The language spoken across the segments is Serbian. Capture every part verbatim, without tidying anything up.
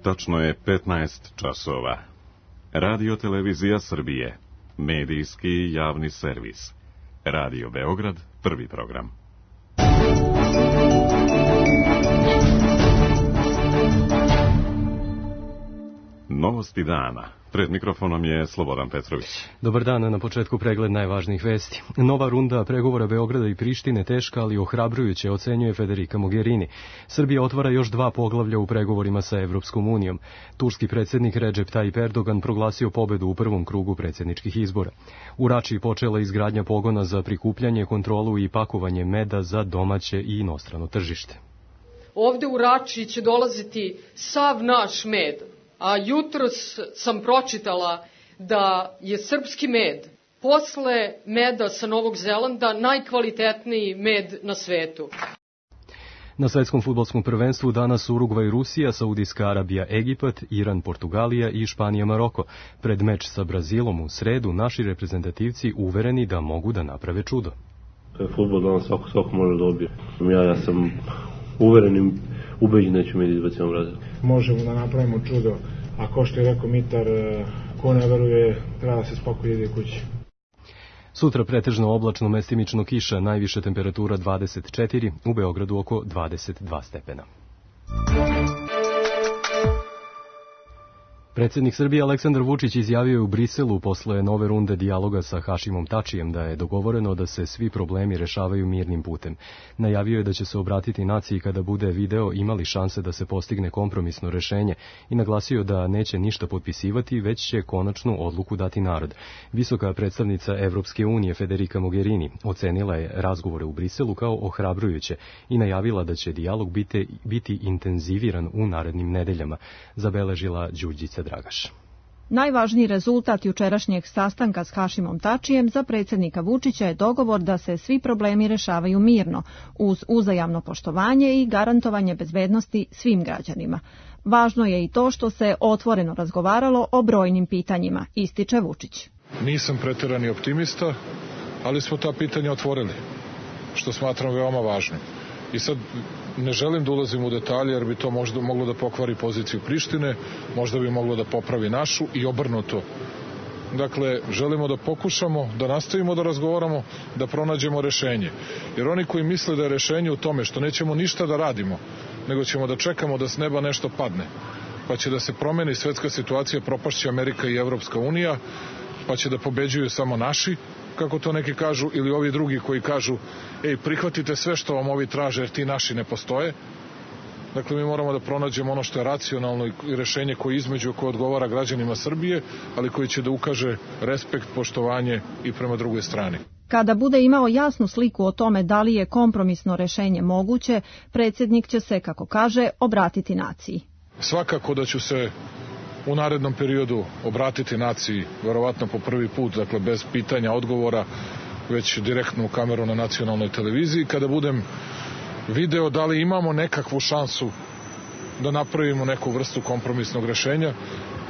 Tačno je petnaest časova. Radio Televizija Srbije. Medijski javni servis. Radio Beograd, prvi program. Novosti dana. Pred mikrofonom je Slobodan Petrović. Dobar dan, na početku pregled najvažnijih vesti. Nova runda pregovora Beograda i Prištine teška, ali ohrabrujuće, ocenjuje Federica Mogherini. Srbija otvara još dva poglavlja u pregovorima sa Evropskom unijom. Turski predsjednik Recep Tayyip Erdogan proglasio pobedu u prvom krugu predsjedničkih izbora. U Rači počela izgradnja pogona za prikupljanje, kontrolu i pakovanje meda za domaće i inostrano tržište. Ovde u Rači će dolaziti sav naš med. A jutros sam pročitala da je srpski med posle meda sa Novog Zelanda najkvalitetniji med na svetu. Na svetskom fudbalskom prvenstvu danas Urugvaj Rusija, Saudijska Arabija Egipat, Iran Portugalija i Španija Maroko. Pred meč sa Brazilom u sredu naši reprezentativci uvereni da mogu da naprave čudo. Fudbal danas svako, svako može dobije. Ja, ja sam uverenim ubeđen da ćemo izbaciti Brazil. Možemo da napravimo čudo, a ko što je rekao Mitar, ko ne veruje, treba da se spokojno ide kući. Sutra pretežno oblačno, mestimično kiša, najviša temperatura dvadeset četiri, u Beogradu oko dvadeset dva stepena. Predsjednik Srbije Aleksandar Vučić izjavio je u Briselu posle nove runde dijaloga sa Hašimom Tačijem da je dogovoreno da se svi problemi rešavaju mirnim putem. Najavio je da će se obratiti naciji kada bude video imali šanse da se postigne kompromisno rešenje i naglasio da neće ništa potpisivati, već će konačnu odluku dati narod. Visoka predstavnica Evropske unije Federica Mogherini ocenila je razgovore u Briselu kao ohrabrujuće i najavila da će dijalog biti, biti intenziviran u narednim nedeljama, zabeležila Đurđica Dragaš. Najvažniji rezultat jučerašnjeg sastanka s Hašimom Tačijem za predsjednika Vučića je dogovor da se svi problemi rešavaju mirno, uz uzajamno poštovanje i garantovanje bezbednosti svim građanima. Važno je i to što se otvoreno razgovaralo o brojnim pitanjima, ističe Vučić. Nisam preterani optimista, ali smo ta pitanja otvorili, što smatram veoma važnim. I sad ne želim da ulazim u detalje jer bi to možda moglo da pokvari poziciju Prištine, možda bi moglo da popravi našu i obrnuto. Dakle, želimo da pokušamo, da nastavimo da razgovaramo, da pronađemo rešenje. Jer oni koji misle da je rešenje u tome što nećemo ništa da radimo, nego ćemo da čekamo da s neba nešto padne, pa će da se promeni svetska situacija, propašće Amerika i Evropska unija, pa će da pobeđuju samo naši, kako to neki kažu, ili ovi drugi koji kažu, ej, prihvatite sve što vam ovi traže jer ti naši ne postoje. Dakle, mi moramo da pronađemo ono što je racionalno i rešenje koje između koje odgovara građanima Srbije, ali koji će da ukaže respekt, poštovanje i prema drugoj strani. Kada bude imao jasnu sliku o tome da li je kompromisno rešenje moguće, predsjednik će se, kako kaže, obratiti naciji. Svakako da ću se u narednom periodu obratiti naciji, verovatno po prvi put, dakle bez pitanja, odgovora, već direktno u kameru na nacionalnoj televiziji, kada budem video da li imamo nekakvu šansu da napravimo neku vrstu kompromisnog rešenja,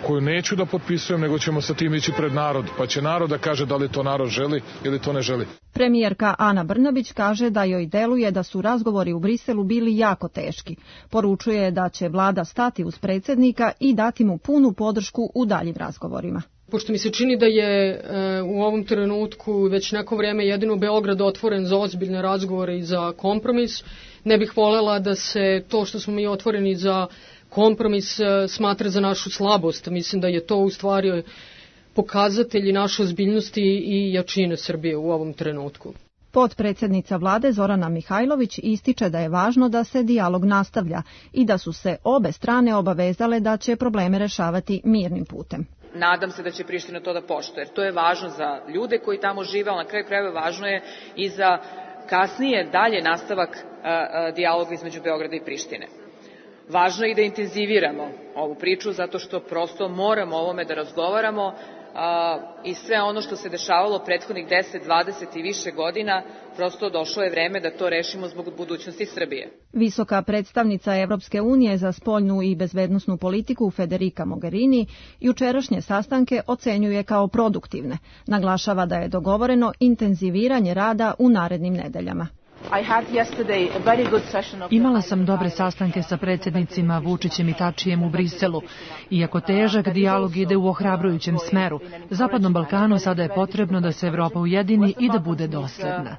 koju neću da potpisujem, nego ćemo sa tim ići pred narod, pa će narod da kaže da li to narod želi ili to ne želi. Premijerka Ana Brnabić kaže da joj deluje da su razgovori u Briselu bili jako teški. Poručuje da će vlada stati uz predsjednika i dati mu punu podršku u daljim razgovorima. Pošto mi se čini da je e, u ovom trenutku već neko vrijeme jedino Beograd otvoren za ozbiljne razgovore i za kompromis, ne bih voljela da se to što smo mi otvoreni za kompromis smatra za našu slabost. Mislim da je to u stvari pokazatelji naše ozbiljnosti i jačine Srbije u ovom trenutku. Potpredsjednica vlade Zorana Mihajlović ističe da je važno da se dijalog nastavlja i da su se obe strane obavezale da će probleme rešavati mirnim putem. Nadam se da će Priština to da poštuje, jer to je važno za ljude koji tamo žive, ali na kraju krajeva važno je i za kasnije dalje nastavak a, a, dijaloga između Beograda i Prištine. Važno je i da intenziviramo ovu priču, zato što prosto moramo o ovome da razgovaramo a, i sve ono što se dešavalo prethodnih deset, dvadeset i više godina, prosto došlo je vreme da to rešimo zbog budućnosti Srbije. Visoka predstavnica Evropske unije za spoljnu i bezbednosnu politiku Federica Mogherini jučerašnje sastanke ocenjuje kao produktivne. Naglašava da je dogovoreno intenziviranje rada u narednim nedeljama. Imala sam dobre sastanke sa predsjednicima Vučićem i Tačijem u Briselu. Iako težak, dijalog ide u ohrabrujućem smeru. Zapadnom Balkanu sada je potrebno da se Evropa ujedini i da bude dosledna.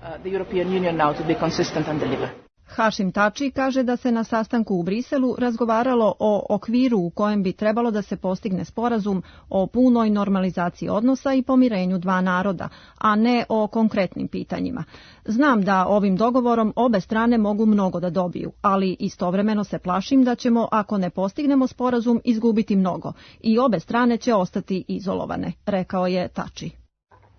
Hašim Tači kaže da se na sastanku u Briselu razgovaralo o okviru u kojem bi trebalo da se postigne sporazum o punoj normalizaciji odnosa i pomirenju dva naroda, a ne o konkretnim pitanjima. Znam da ovim dogovorom obe strane mogu mnogo da dobiju, ali istovremeno se plašim da ćemo, ako ne postignemo sporazum, izgubiti mnogo i obe strane će ostati izolovane, rekao je Tači.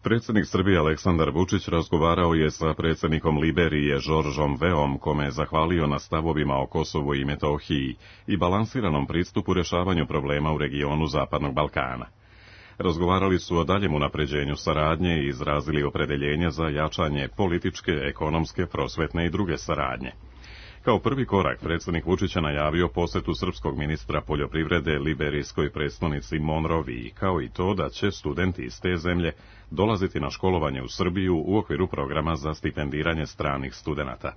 Predsjednik Srbije Aleksandar Vučić razgovarao je sa predsjednikom Liberije Žoržom Veom, kome je zahvalio na stavovima o Kosovu i Metohiji i balansiranom pristupu rješavanju problema u regionu Zapadnog Balkana. Razgovarali su o daljem unapređenju saradnje i izrazili opredeljenje za jačanje političke, ekonomske, prosvetne i druge saradnje. Kao prvi korak, predsjednik Vučić je najavio posjetu srpskog ministra poljoprivrede liberijskoj prestonici Monroviji, kao i to da će studenti iz te zemlje dolaziti na školovanje u Srbiju u okviru programa za stipendiranje stranih studenata.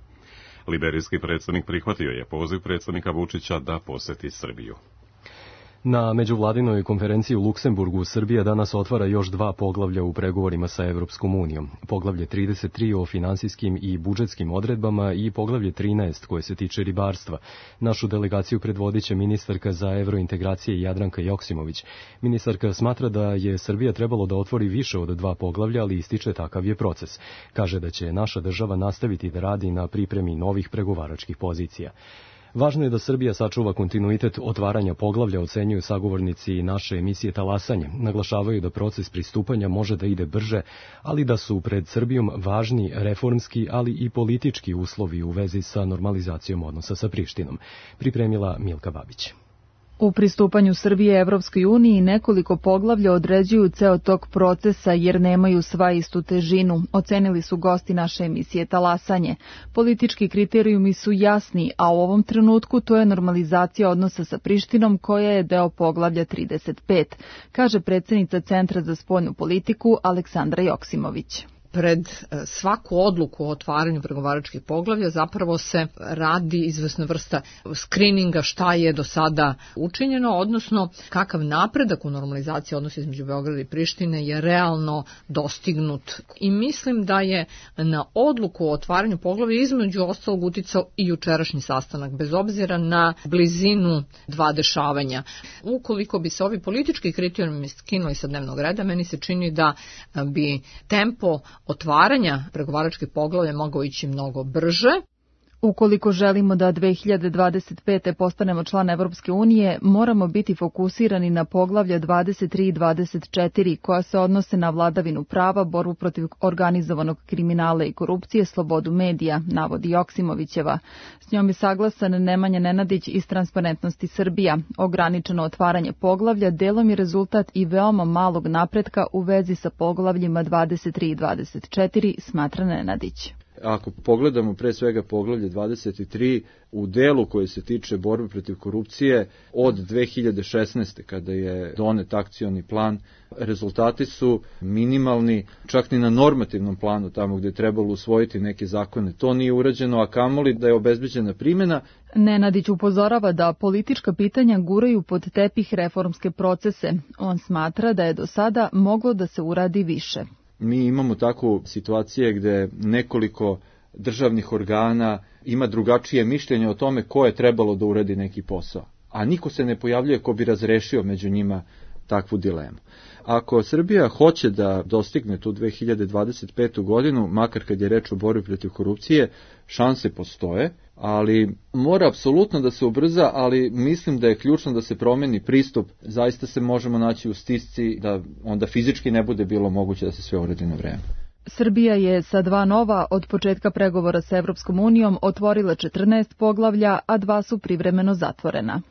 Liberijski predsjednik prihvatio je poziv predsjednika Vučića da posjeti Srbiju. Na međuvladinoj konferenciji u Luksemburgu Srbija danas otvara još dva poglavlja u pregovorima sa Evropskom unijom. Poglavlje trideset tri o finansijskim i budžetskim odredbama i poglavlje trinaest koje se tiče ribarstva. Našu delegaciju predvodit će ministarka za evrointegracije Jadranka Joksimović. Ministarka smatra da je Srbija trebalo da otvori više od dva poglavlja, ali ističe takav je proces. Kaže da će naša država nastaviti da radi na pripremi novih pregovaračkih pozicija. Važno je da Srbija sačuva kontinuitet otvaranja poglavlja, ocenjuju sagovornici naše emisije Talasanje. Naglašavaju da proces pristupanja može da ide brže, ali da su pred Srbijom važni reformski, ali i politički uslovi u vezi sa normalizacijom odnosa sa Prištinom. Pripremila Milka Babić. U pristupanju Srbije Evropskoj uniji nekoliko poglavlja određuju ceo tok procesa jer nemaju sva istu težinu, ocenili su gosti naše emisije Talasanje. Politički kriterijumi su jasni, a u ovom trenutku to je normalizacija odnosa sa Prištinom koja je deo poglavlja trideset pet, kaže predsjednica Centra za spoljnu politiku Aleksandra Joksimović. Pred svaku odluku o otvaranju pregovaračkih poglavlja zapravo se radi izvesna vrsta skrininga šta je do sada učinjeno, odnosno kakav napredak u normalizaciji odnosa između Beograda i Prištine je realno dostignut. I mislim da je na odluku o otvaranju poglavlja između ostalog uticao i jučerašnji sastanak, bez obzira na blizinu dva dešavanja. Ukoliko bi se ovi politički kriterijumi skinuli sa dnevnog reda, meni se čini da bi tempo otvaranja pregovaračkih poglavlja mogao ići mnogo brže. Ukoliko želimo da dve hiljade dvadeset pete postanemo član Evropske unije, moramo biti fokusirani na poglavlja dvadeset tri i dvadeset četiri koja se odnose na vladavinu prava, borbu protiv organizovanog kriminala i korupcije, slobodu medija, navodi Joksimovićeva. S njom je saglasan Nemanja Nenadić iz Transparentnosti Srbija. Ograničeno otvaranje poglavlja delom je rezultat i veoma malog napretka u vezi sa poglavljima dvadeset tri i dvadeset četiri, smatra Nenadić. Ako pogledamo pre svega poglavlje dvadeset tri u delu koji se tiče borbe protiv korupcije od dve hiljade šesnaeste kada je donet akcioni plan, rezultati su minimalni, čak ni na normativnom planu tamo gde je trebalo usvojiti neke zakone. To nije urađeno, a kamoli da je obezbeđena primjena. Nenadić upozorava da politička pitanja guraju pod tepih reformske procese. On smatra da je do sada moglo da se uradi više. Mi imamo takvu situacije gde nekoliko državnih organa ima drugačije mišljenje o tome ko je trebalo da uradi neki posao, a niko se ne pojavljuje ko bi razrešio među njima takvu dilemu. Ako Srbija hoće da dostigne tu dve hiljade dvadeset petu godinu, makar kad je reč o borbi protiv korupcije, šanse postoje, ali mora apsolutno da se ubrza, ali mislim da je ključno da se promeni pristup. Zaista se možemo naći u stisci da onda fizički ne bude bilo moguće da se sve uradi na vreme. Srbija je sa dva nova od početka pregovora sa Evropskom unijom otvorila četrnaest poglavlja, a dva su privremeno zatvorena.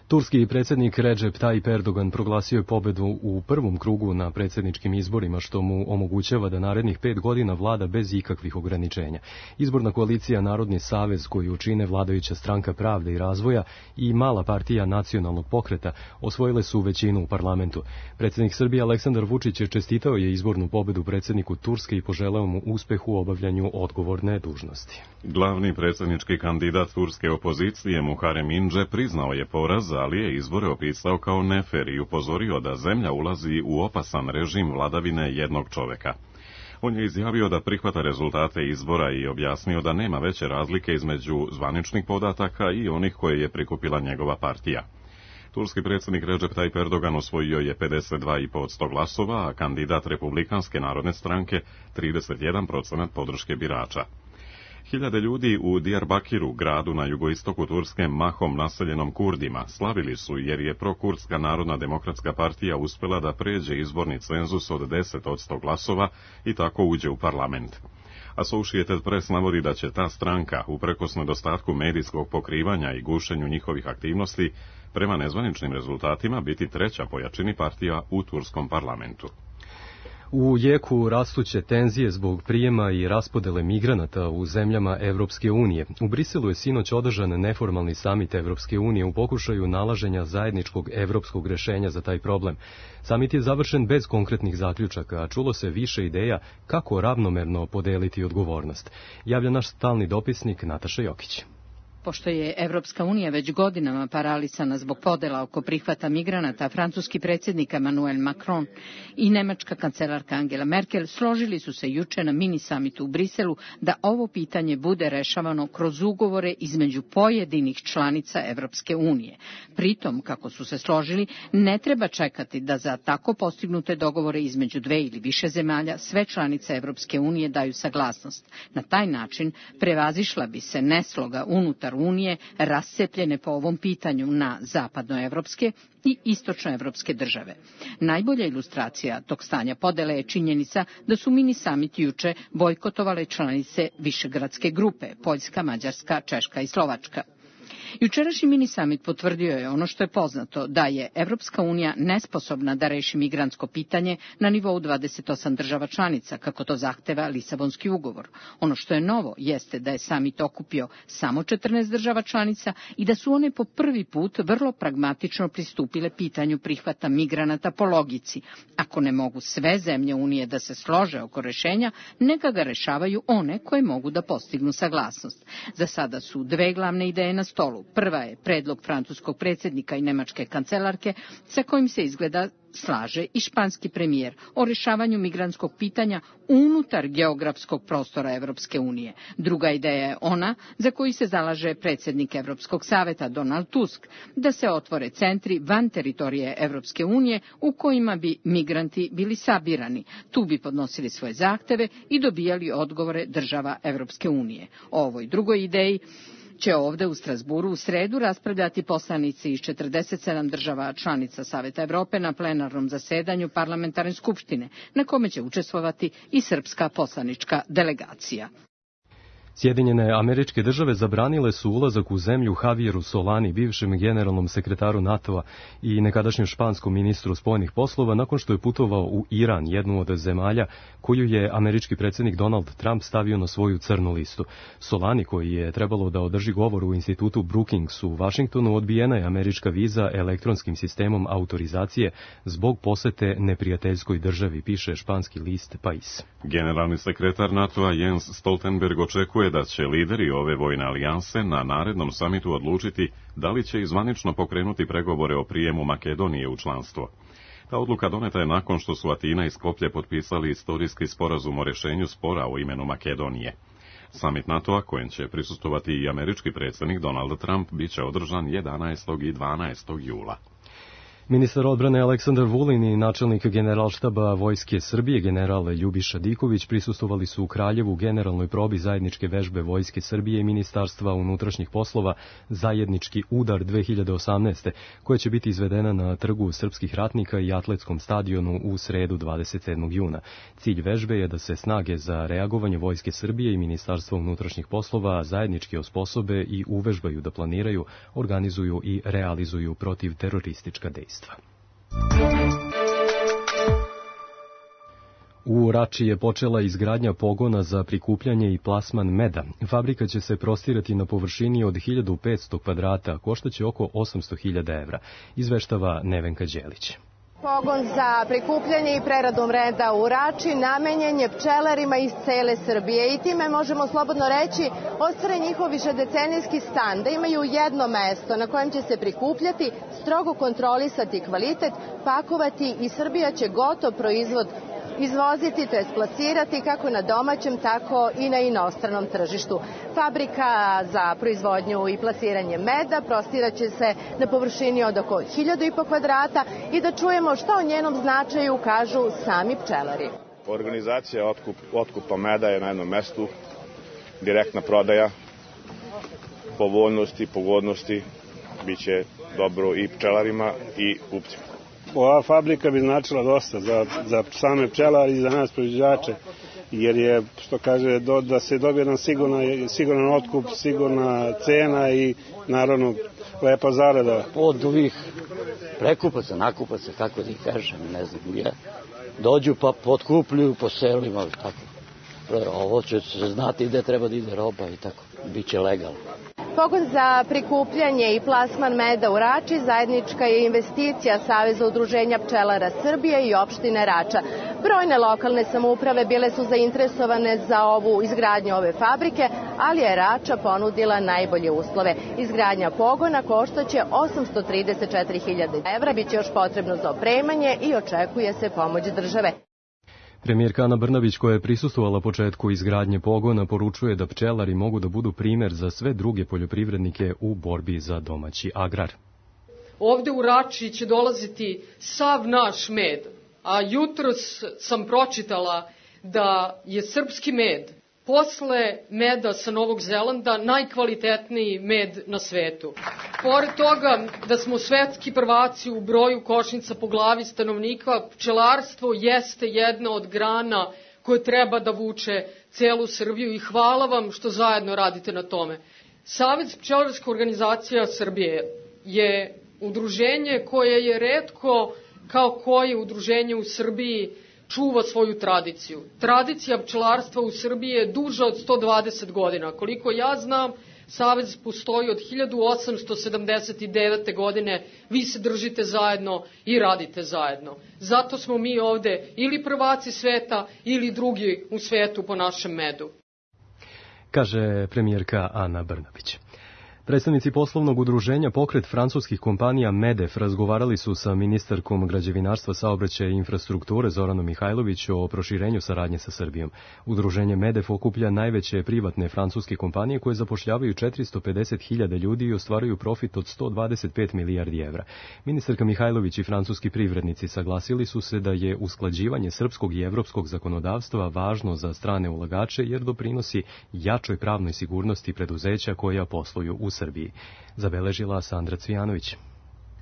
Turski predsjednik Recep Tayyip Erdogan proglasio je pobedu u prvom krugu na predsjedničkim izborima, što mu omogućava da narednih pet godina vlada bez ikakvih ograničenja. Izborna koalicija Narodni savez, koju čine vladajuća stranka Pravde i razvoja i mala partija Nacionalnog pokreta, osvojile su većinu u parlamentu. Predsjednik Srbije Aleksandar Vučić je čestitao je izbornu pobedu predsjedniku Turske i poželeo mu uspeh u obavljanju odgovorne dužnosti. Glavni predsjednički kandidat turske opozicije Muharrem İnce priznao je poraz, ali je izbore opisao kao nefer i upozorio da zemlja ulazi u opasan režim vladavine jednog čoveka. On je izjavio da prihvata rezultate izbora i objasnio da nema veće razlike između zvaničnih podataka i onih koje je prikupila njegova partija. Turski predsjednik Recep Tayyip Erdogan osvojio je pedeset dva zarez pet posto glasova, a kandidat Republikanske narodne stranke trideset jedan procenat podrške birača. Hiljade ljudi u Diyarbakiru, gradu na jugoistoku Turske, mahom naseljenom Kurdima, slavili su jer je prokurdska Narodna demokratska partija uspjela da pređe izborni cenzus od deset posto glasova i tako uđe u parlament. Associated Press navodi da će ta stranka, uprkos nedostatku medijskog pokrivanja i gušenju njihovih aktivnosti, prema nezvaničnim rezultatima biti treća po jačini partija u turskom parlamentu. U jeku rastuće tenzije zbog prijema i raspodele migranata u zemljama Evropske unije, u Briselu je sinoć održan neformalni samit Evropske unije u pokušaju nalaženja zajedničkog evropskog rešenja za taj problem. Samit je završen bez konkretnih zaključaka, a čulo se više ideja kako ravnomerno podeliti odgovornost. Javlja naš stalni dopisnik Nataša Jokić. Pošto je Evropska unija već godinama paralisana zbog podela oko prihvata migranata, francuski predsjednik Emmanuel Macron i nemačka kancelarka Angela Merkel složili su se juče na mini samitu u Briselu da ovo pitanje bude rešavano kroz ugovore između pojedinih članica Evropske unije. Pritom, kako su se složili, ne treba čekati da za tako postignute dogovore između dve ili više zemalja sve članice Evropske unije daju saglasnost. Na taj način prevazišla bi se nesloga unutar Unije rascepljene po ovom pitanju na zapadnoevropske i istočnoevropske države. Najbolja ilustracija tog stanja podele je činjenica da su mini samit juče bojkotovale članice Višegradske grupe, Poljska, Mađarska, Češka i Slovačka. Jučerašnji mini samit potvrdio je ono što je poznato, da je Evropska unija nesposobna da reši migrantsko pitanje na nivou dvadeset osam država članica, kako to zahteva Lisabonski ugovor. Ono što je novo jeste da je samit okupio samo četrnaest država članica i da su one po prvi put vrlo pragmatično pristupile pitanju prihvata migranata po logici. Ako ne mogu sve zemlje Unije da se slože oko rešenja, neka ga rešavaju one koje mogu da postignu saglasnost. Za sada su dve glavne ideje na stolu. Prva je predlog francuskog predsjednika i nemačke kancelarke sa kojim se izgleda slaže i španski premijer o rešavanju migrantskog pitanja unutar geografskog prostora Evropske unije. Druga ideja je ona za koju se zalaže predsjednik Evropskog saveta Donald Tusk, da se otvore centri van teritorije Evropske unije u kojima bi migranti bili sabirani. Tu bi podnosili svoje zahteve i dobijali odgovore država Evropske unije. O ovoj drugoj ideji će ovde u Strasburu u sredu raspravljati poslanici iz četrdeset sedam država članica Saveta Evrope na plenarnom zasedanju parlamentarne skupštine, na kome će učestvovati i srpska poslanička delegacija. Sjedinjene Američke Države zabranile su ulazak u zemlju Javieru Solani, bivšem generalnom sekretaru NATO-a i nekadašnjem španskom ministru spoljnih poslova, nakon što je putovao u Iran, jednu od zemalja koju je američki predsjednik Donald Trump stavio na svoju crnu listu. Solani, koji je trebalo da održi govor u institutu Brookings u Vašingtonu, odbijena je američka viza elektronskim sistemom autorizacije zbog posete neprijateljskoj državi, piše španski list Pais. Generalni sekretar NATO-a Jens Stoltenberg očekuje da će lideri ove vojne alijanse na narednom samitu odlučiti da li će izvanično pokrenuti pregovore o prijemu Makedonije u članstvo. Ta odluka doneta je nakon što su Atina i Skoplje potpisali istorijski sporazum o rješenju spora o imenu Makedonije. Samit NATO-a, kojem će prisustvovati i američki predsjednik Donald Trump, bit će održan jedanaestog i dvanaestog jula. Ministar odbrane Aleksandar Vulin i načelnik Generalštaba Vojske Srbije general Ljubiša Diković prisustvovali su u Kraljevu generalnoj probi zajedničke vežbe Vojske Srbije i Ministarstva unutrašnjih poslova Zajednički udar dve hiljade osamnaeste, koja će biti izvedena na Trgu srpskih ratnika i atletskom stadionu u sredu dvadeset sedmog juna. Cilj vežbe je da se snage za reagovanje Vojske Srbije i Ministarstva unutrašnjih poslova zajednički osposobe i uvežbaju da planiraju, organizuju i realizuju protiv teroristička dejstva. U Rači je počela izgradnja pogona za prikupljanje i plasman meda. Fabrika će se prostirati na površini od hiljadu petsto kvadrata, koštaće oko osamsto hiljada evra, izveštava Nevenka Đelić. Pogon za prikupljanje i preradu meda u Rači namenjen je pčelarima iz cele Srbije i time možemo slobodno reći ostvare njihov višedecenijski stan, da imaju jedno mesto na kojem će se prikupljati, strogo kontrolisati kvalitet, pakovati i Srbija će gotov proizvod izvoziti, to je plasirati kako na domaćem, tako i na inostranom tržištu. Fabrika za proizvodnju i plasiranje meda prostiraće se na površini od oko hiljadu i po kvadrata i da čujemo šta o njenom značaju kažu sami pčelari. Organizacija otkup, otkupa meda je na jednom mestu, direktna prodaja, povoljnosti, pogodnosti, bit će dobro i pčelarima i kupcima. Ova fabrika bi značila dosta za, za same pčelari i za nas proizvođače, jer je, što kaže, do, da se dobije nam sigurna, siguran otkup, sigurna cena i naravno lepa zarada. Od ovih prekupaca, nakupaca, kako da ih kažem, ne znam, ja, dođu pa potkupljuju po selima, tako. Ovo će se znati gde treba da ide roba i tako, bit će legalno. Pogon za prikupljanje i plasman meda u Rači zajednička je investicija Saveza udruženja pčelara Srbije i opštine Rača. Brojne lokalne samouprave bile su zainteresovane za ovu izgradnju ove fabrike, ali je Rača ponudila najbolje uslove. Izgradnja pogona koštaće osamsto trideset četiri hiljade evra, biće još potrebno za opremanje i očekuje se pomoć države. Premijerka Ana Brnabić, koja je prisustvovala početku izgradnje pogona, poručuje da pčelari mogu da budu primer za sve druge poljoprivrednike u borbi za domaći agrar. Ovde u Rači će dolaziti sav naš med, a jutros sam pročitala da je srpski med posle meda sa Novog Zelanda najkvalitetniji med na svetu. Pored toga da smo svetski prvaci u broju košnica po glavi stanovnika, pčelarstvo jeste jedna od grana koje treba da vuče celu Srbiju i hvala vam što zajedno radite na tome. Savez pčelarska organizacija Srbije je udruženje koje je retko kao koje udruženje u Srbiji čuva svoju tradiciju. Tradicija pčelarstva u Srbiji je duža od sto dvadeset godina. Koliko ja znam, Savez postoji od hiljadu osamsto sedamdeset devete. godine, vi se držite zajedno i radite zajedno. Zato smo mi ovde ili prvaci sveta ili drugi u svetu po našem medu. Kaže premijerka Ana Brnabić. Predstavnici poslovnog udruženja Pokret francuskih kompanija Medef razgovarali su sa ministarkom građevinarstva, saobraćaja i infrastrukture Zoranom Mihajlović o proširenju saradnje sa Srbijom. Udruženje Medef okuplja najveće privatne francuske kompanije koje zapošljavaju četiristo pedeset hiljada ljudi i ostvaruju profit od sto dvadeset pet milijardi evra. Ministarka Mihajlović i francuski privrednici saglasili su se da je usklađivanje srpskog i evropskog zakonodavstva važno za strane ulagače jer doprinosi jačoj pravnoj sigurnosti preduzeća koja posluju u Srbiji, zabeležila Sandra Cvijanović.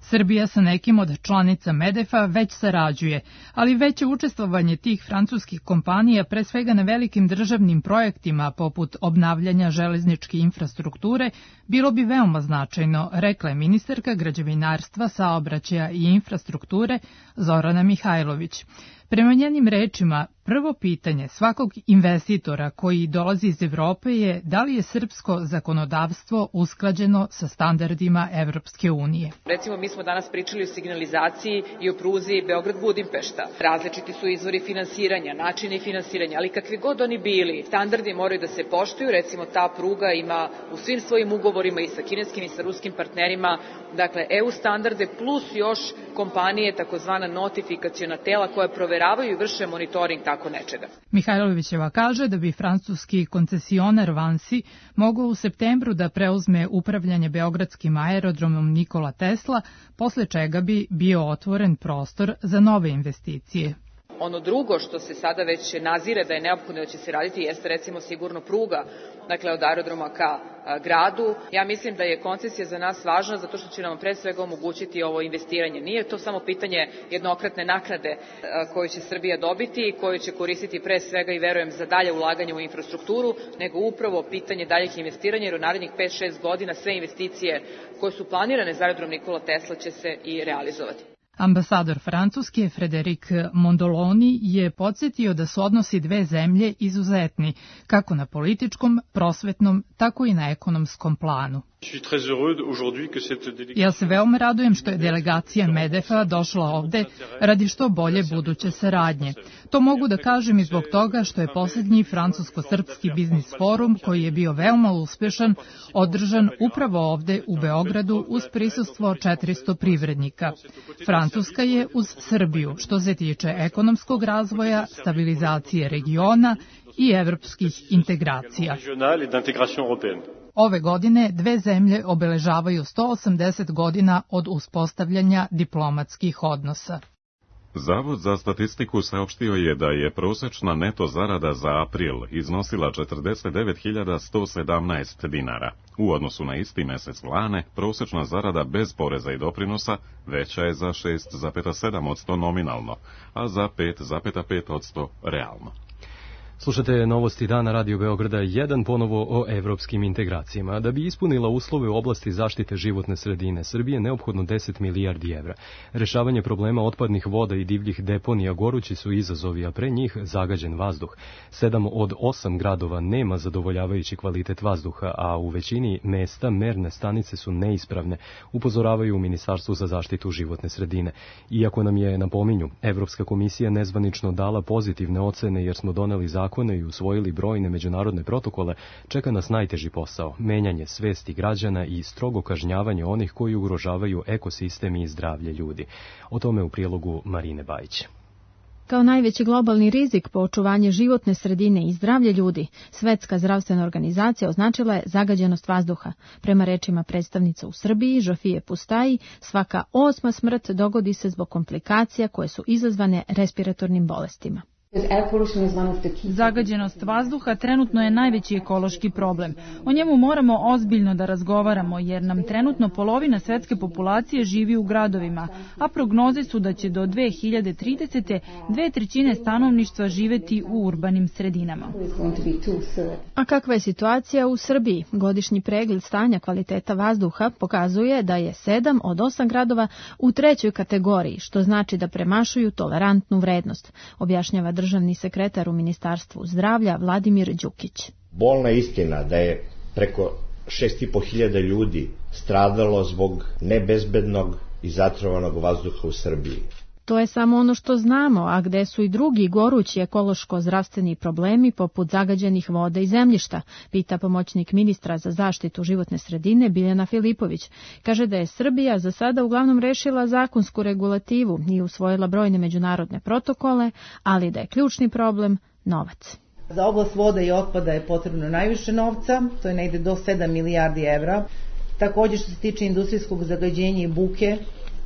Srbija sa nekim od članica Medefa već sarađuje, ali veće učestvovanje tih francuskih kompanija pre svega na velikim državnim projektima poput obnavljanja železničke infrastrukture bilo bi veoma značajno, rekla je ministarka građevinarstva, saobraćaja i infrastrukture Zorana Mihajlović. Prema njenim rečima, prvo pitanje svakog investitora koji dolazi iz Evrope je da li je srpsko zakonodavstvo usklađeno sa standardima Evropske unije. Recimo, mi smo danas pričali o signalizaciji i o pruzi Beograd-Budimpešta. Različiti su izvori finansiranja, načini finansiranja, ali kakvi god oni bili, standardi moraju da se poštuju. Recimo, ta pruga ima u svim svojim ugovorima i sa kineskim i sa ruskim partnerima, dakle, E U standarde plus još kompanije, takozvana notifikaciona tela koja proverava proveravaju i vrše monitoring tako nečega. Mihajlovićeva kaže da bi francuski koncesionar Vansi mogao u septembru da preuzme upravljanje beogradskim aerodromom Nikola Tesla, posle čega bi bio otvoren prostor za nove investicije. Ono drugo što se sada već nazire da je neophodno da će se raditi jeste recimo sigurno pruga, dakle od aerodroma ka gradu. Ja mislim da je koncesija za nas važna zato što će nam pre svega omogućiti ovo investiranje. Nije to samo pitanje jednokratne naknade koju će Srbija dobiti i koju će koristiti pre svega i verujem za dalje ulaganje u infrastrukturu, nego upravo pitanje daljih investiranja jer u narednih pet šest godina sve investicije koje su planirane za aerodrom Nikola Tesla će se i realizovati. Ambasador Francuske Frederic Mondoloni je podsjetio da su odnosi dve zemlje izuzetni, kako na političkom, prosvetnom, tako i na ekonomskom planu. Ja se veoma radujem što je delegacija Medefa došla ovde radi što bolje buduće saradnje. To mogu da kažem i zbog toga što je poslednji francusko-srpski biznis forum, koji je bio veoma uspešan, održan upravo ovde u Beogradu uz prisustvo četiristo privrednika. Francuska je uz Srbiju što se tiče ekonomskog razvoja, stabilizacije regiona i evropskih integracija. Ove godine dve zemlje obeležavaju sto osamdeset godina od uspostavljanja diplomatskih odnosa. Zavod za statistiku saopštio je da je prosečna neto zarada za april iznosila četrdeset devet hiljada sto sedamnaest dinara. U odnosu na isti mesec lane, prosečna zarada bez poreza i doprinosa veća je za šest zarez sedam posto nominalno, a za pet zarez pet posto realno. Slušate novosti dana Radio Beograda jedan ponovo o evropskim integracijama. Da bi ispunila uslove u oblasti zaštite životne sredine, Srbije je neophodno deset milijardi evra. Rešavanje problema otpadnih voda i divljih deponija gorući su izazovi, a pre njih zagađen vazduh. Sedam od osam gradova nema zadovoljavajući kvalitet vazduha, a u većini mesta merne stanice su neispravne, upozoravaju u Ministarstvu za zaštitu životne sredine. Iako nam je, napominju, Evropska komisija nezvanično dala pozitivne ocene jer smo doneli zakon zakone i usvojili brojne međunarodne protokole, čeka nas najteži posao, menjanje svesti građana i strogo kažnjavanje onih koji ugrožavaju ekosistem i zdravlje ljudi. O tome u prilogu Marine Bajić. Kao najveći globalni rizik po očuvanje životne sredine i zdravlje ljudi, Svetska zdravstvena organizacija označila je zagađenost vazduha. Prema rečima predstavnica u Srbiji, Žofije Pustaji, svaka osma smrt dogodi se zbog komplikacija koje su izazvane respiratornim bolestima. Zagađenost vazduha trenutno je najveći ekološki problem. O njemu moramo ozbiljno da razgovaramo jer nam trenutno polovina svetske populacije živi u gradovima, a prognoze su da će do dve hiljade tridesete dve trećine stanovništva živeti u urbanim sredinama. A kakva je situacija u Srbiji? Godišnji pregled stanja kvaliteta vazduha pokazuje da je sedam od osam gradova u trećoj kategoriji, što znači da premašuju tolerantnu vrednost, objašnjava državni sekretar u Ministarstvu zdravlja Vladimir Đukić. Bolna istina da je preko šest i po hiljada ljudi stradalo zbog nebezbednog i zatrovanog vazduha u Srbiji. To je samo ono što znamo, a gde su i drugi gorući ekološko-zdravstveni problemi poput zagađenih voda i zemljišta, pita pomoćnik ministra za zaštitu životne sredine Biljana Filipović. Kaže da je Srbija za sada uglavnom rešila zakonsku regulativu i usvojila brojne međunarodne protokole, ali da je ključni problem novac. Za oblast voda i otpada je potrebno najviše novca, to je negde do sedam milijardi evra. Također što se tiče industrijskog zagađenja i buke,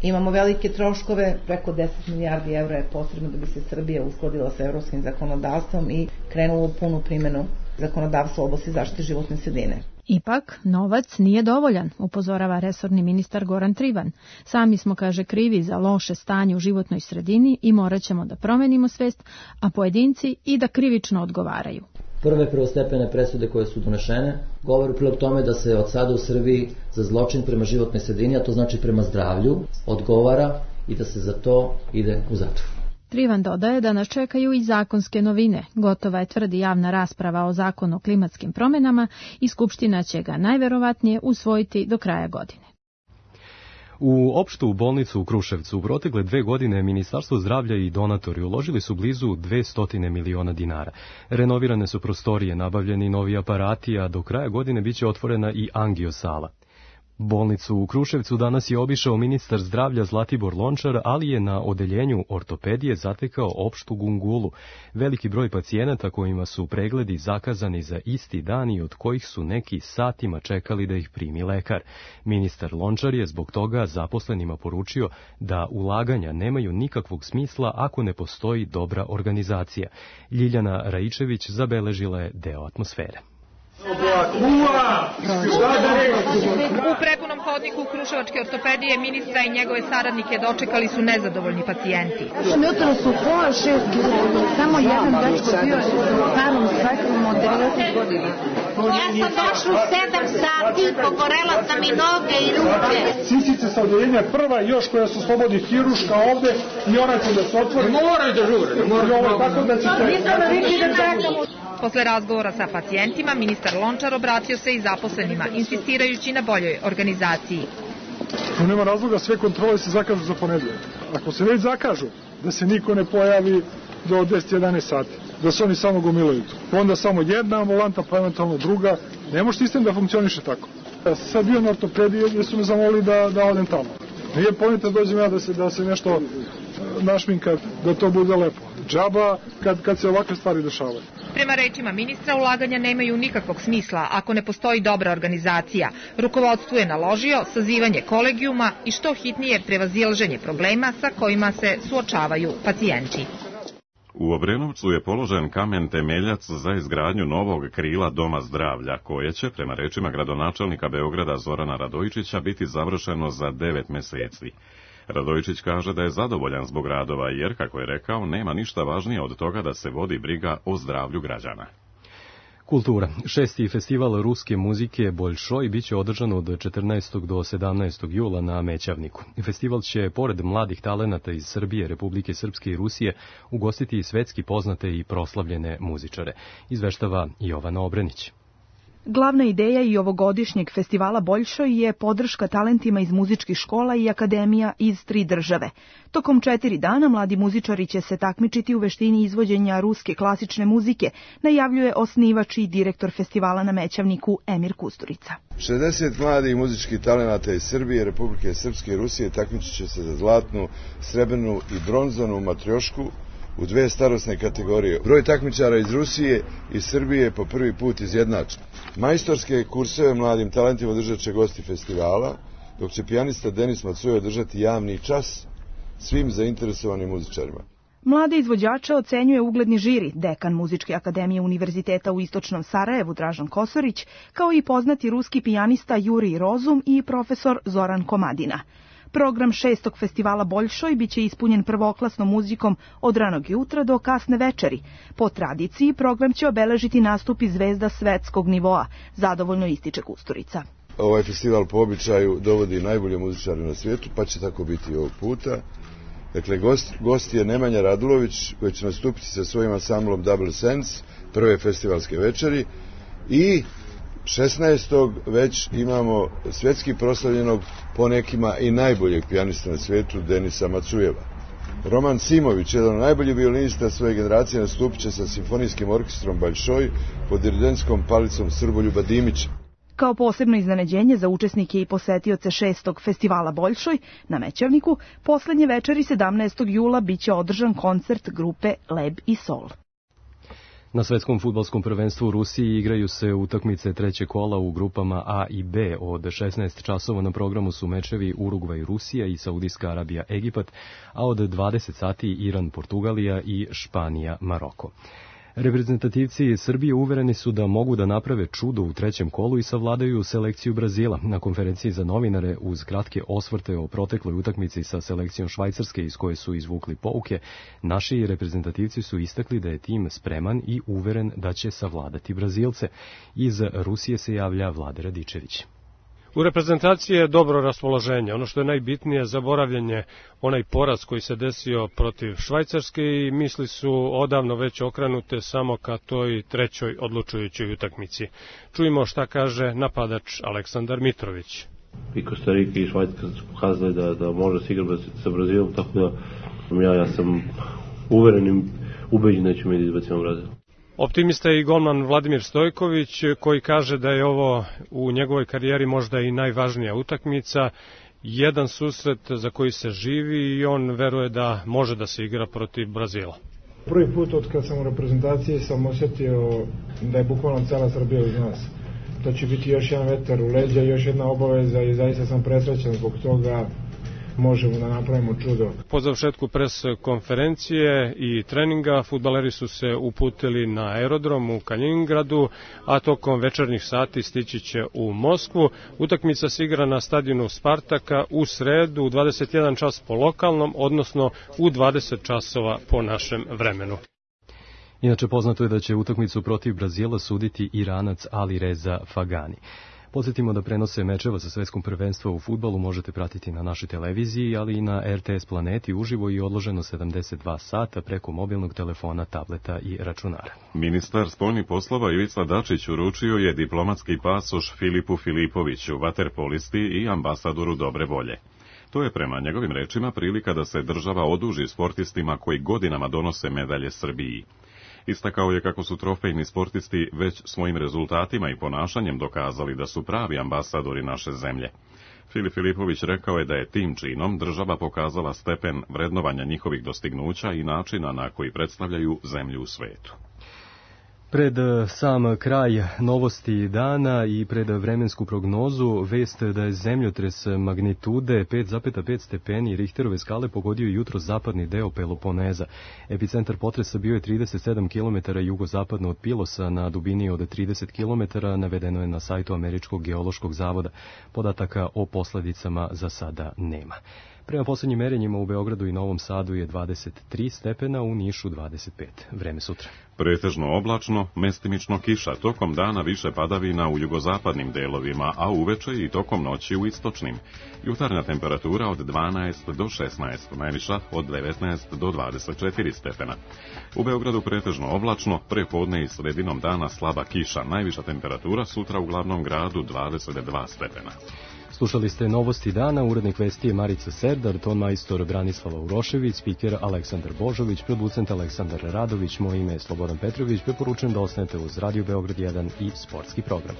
imamo velike troškove, preko deset milijardi evra je potrebno da bi se Srbija uskladila sa evropskim zakonodavstvom i krenula u punu primjenu zakonodavstva u oblasti zaštite životne sredine. Ipak, novac nije dovoljan, upozorava resorni ministar Goran Trivan. Sami smo, kaže, krivi za loše stanje u životnoj sredini i morat ćemo da promenimo svest, a pojedinci i da krivično odgovaraju. Prve prvostepene presude koje su donešene govore u prilog tome da se od sada u Srbiji za zločin prema životnoj sredini, a to znači prema zdravlju, odgovara i da se za to ide u zatvor. Trivan dodaje da nas čekaju i zakonske novine. Gotova je, tvrdi, javna rasprava o zakonu o klimatskim promjenama i Skupština će ga najverovatnije usvojiti do kraja godine. U opštu bolnicu u Kruševcu u protekle dve godine Ministarstvo zdravlja i donatori uložili su blizu dvesta miliona dinara. Renovirane su prostorije, nabavljeni novi aparati, a do kraja godine biće otvorena i angiosala. Bolnicu u Kruševcu danas je obišao ministar zdravlja Zlatibor Lončar, ali je na odeljenju ortopedije zatekao opštu gungulu. Veliki broj pacijenata kojima su pregledi zakazani za isti dan i od kojih su neki satima čekali da ih primi lekar. Ministar Lončar je zbog toga zaposlenima poručio da ulaganja nemaju nikakvog smisla ako ne postoji dobra organizacija. Ljiljana Raičević zabeležila je deo atmosfere. U prepunom hodniku Kruševačke ortopedije ministra i njegove saradnike dočekali su nezadovoljni pacijenti. Jutro su pola šest ljudi, samo jedan dečko bio u starom svetlom od devedeset godina. Ja sam došla u sedam sati, pogorela sam i noge i ruke. Sisice sa odeljenja prva, još koja su slobodi hiruška ovde i ona će da se otvori. Moraju da žure. Moraju tako da ćete... Posle razgovora sa pacijentima, ministar Lončar obratio se i zaposlenima, insistirajući na boljoj organizaciji. Tu nema razloga, sve kontrole se zakažu za ponedeljak. Ako se već zakažu, da se niko ne pojavi do deset jedanaest sati, da se oni samo gomilaju. Onda samo jedna ambulanta, pa eventualno druga. Ne može sistem da funkcioniše tako. Ja sam sad bio na ortopediji jer su me zamolili da, da odem tamo. Nije ponita dođem ja da se, da se nešto našminkam, da to bude lepo. Džaba kad, kad se ovakve stvari dešavaju. Prema rečima ministra, ulaganja nemaju nikakvog smisla ako ne postoji dobra organizacija. Rukovodstvo je naložio sazivanje kolegijuma i što hitnije prevazilaženje problema sa kojima se suočavaju pacijenti. U Obrenovcu je položen kamen temeljac za izgradnju novog krila Doma zdravlja, koje će, prema rečima gradonačelnika Beograda Zorana Radojičića, biti završeno za devet meseci. Radojičić kaže da je zadovoljan zbog radova jer, kako je rekao, nema ništa važnije od toga da se vodi briga o zdravlju građana. Kultura. Šesti festival ruske muzike Boljšoj biće održan od četrnaestog do sedamnaestog jula na Mećavniku. Festival će, pored mladih talenata iz Srbije, Republike Srpske i Rusije, ugostiti i svetski poznate i proslavljene muzičare. Izveštava Jovana Obrenić. Glavna ideja i ovogodišnjeg festivala Boljšoj je podrška talentima iz muzičkih škola i akademija iz tri države. Tokom četiri dana mladi muzičari će se takmičiti u veštini izvođenja ruske klasične muzike, najavljuje osnivač i direktor festivala na Mećavniku Emir Kusturica. šezdeset mladih muzičkih talenata iz Srbije, Republike Srpske i Rusije takmičit će se za zlatnu, srebrnu i bronzanu matriošku u dve starosne kategorije. Broj takmičara iz Rusije i Srbije je po prvi put izjednačen. Majstorske kurseve mladim talentima održat će gosti festivala, dok će pijanista Denis Macujev održati javni čas svim zainteresovanim muzičarima. Mlade izvođače ocenjuje ugledni žiri, dekan Muzičke akademije Univerziteta u Istočnom Sarajevu Dražan Kosorić, kao i poznati ruski pijanista Jurij Rozum i profesor Zoran Komadina. Program šestog festivala Boljšoj biće ispunjen prvoklasnom muzikom od ranog jutra do kasne večeri. Po tradiciji, program će obeležiti nastupi zvezda svetskog nivoa, zadovoljno ističe Kusturica. Ovaj festival po običaju dovodi najbolje muzičare na svijetu, pa će tako biti i ovog puta. Dakle, gost, gost je Nemanja Radulović, koji će nastupiti sa svojim ansamblom Double Sense, prve festivalske večeri, i šesnaestog već imamo svjetski proslavljenog, po nekima i najboljeg pijanista na svijetu, Denisa Macujeva. Roman Simović, jedan od najboljih violinista svoje generacije, nastupit će sa simfonijskim orkestrom Boljšoj pod dirigentskom palicom Srboljuba Dimića. Kao posebno iznenađenje za učesnike i posetioce šestog festivala Boljšoj na Mećavniku, poslednje večeri sedamnaestog jula biće održan koncert grupe Leb i Sol. Na svetskom fudbalskom prvenstvu u Rusiji igraju se utakmice trećeg kola u grupama A i B. Od šesnaest časova na programu su mečevi Urugvaj Rusija i Saudijska Arabija Egipat, a od dvadeset sati Iran Portugalija i Španija Maroko. Reprezentativci Srbije uvereni su da mogu da naprave čudo u trećem kolu i savladaju selekciju Brazila. Na konferenciji za novinare uz kratke osvrte o protekloj utakmici sa selekcijom Švajcarske iz koje su izvukli pouke, naši reprezentativci su istakli da je tim spreman i uveren da će savladati Brazilce. Iz Rusije se javlja Vlade Radičević. U reprezentaciji je dobro raspoloženje. Ono što je najbitnije, zaboravljanje onaj poraz koji se desio protiv Švajcarske i misli su odavno već okrenute samo ka toj trećoj odlučujućoj utakmici. Čujemo šta kaže napadač Aleksandar Mitrović. I Kostarika i Švajcarska su pokazali da, da može se igrati sa Brazilom, tako da ja, ja sam uveren i ubeđen da ćemo da izbacimo Brazil. Optimista je i golman Vladimir Stojković, koji kaže da je ovo u njegovoj karijeri možda i najvažnija utakmica, jedan susret za koji se živi i on veruje da može da se igra protiv Brazila. Prvi put od kad sam u reprezentaciji sam osjetio da je bukvalno cela Srbija uz nas. To će biti još jedan vetar u leđa, još jedna obaveza i zaista sam presrećan zbog toga. Možemo da napravimo čudo. Po završetku pres konferencije i treninga fudbaleri su se uputili na aerodrom u Kaliningradu, a tokom večernjih sati stići će u Moskvu. Utakmica se igra na stadionu Spartaka u sredu u dvadeset jedan čas po lokalnom, odnosno u dvadeset časova po našem vremenu. Inače, poznato je da će utakmicu protiv Brazila suditi Iranac Ali Reza Fagani. Podsjetimo da prenose mečeva sa svetskom prvenstva u fudbalu možete pratiti na našoj televiziji, ali i na R T S Planeti uživo i odloženo sedamdeset dva sata preko mobilnog telefona, tableta i računara. Ministar spoljnih poslova Ivica Dačić uručio je diplomatski pasoš Filipu Filipoviću, vaterpolisti i ambasadoru dobre volje. To je prema njegovim rečima prilika da se država oduži sportistima koji godinama donose medalje Srbiji. Istakao je kako su trofejni sportisti već svojim rezultatima i ponašanjem dokazali da su pravi ambasadori naše zemlje. Filip Filipović rekao je da je tim činom država pokazala stepen vrednovanja njihovih dostignuća i načina na koji predstavljaju zemlju u svetu. Pred sam kraj novosti dana i pred vremensku prognozu, vest da je zemljotres magnitude pet zarez pet stepeni Richterove skale pogodio jutro zapadni deo Peloponeza. Epicentar potresa bio je trideset sedam kilometara jugozapadno od Pilosa na dubini od trideset kilometara, navedeno je na sajtu Američkog geološkog zavoda. Podataka o posledicama za sada nema. Prema poslednjim merenjima u Beogradu i Novom Sadu je dvadeset tri stepena, u Nišu dvadeset pet. Vreme sutra. Pretežno oblačno, mestimično kiša, tokom dana više padavina u jugozapadnim delovima, a uveče i tokom noći u istočnim. Jutarnja temperatura od dvanaest do šesnaest, najviša od devetnaest do dvadeset četiri stepena. U Beogradu pretežno oblačno, prepodne i sredinom dana slaba kiša, najviša temperatura sutra u glavnom gradu dvadeset dva stepena. Slušali ste novosti dana, urednik vesti je Marica Serdar, ton majstor Branislava Urošević, spiker Aleksandar Božović, producent Aleksandar Radović, moje ime je Slobodan Petrović, preporučujem da ostanete uz Radio Beograd jedan i sportski program.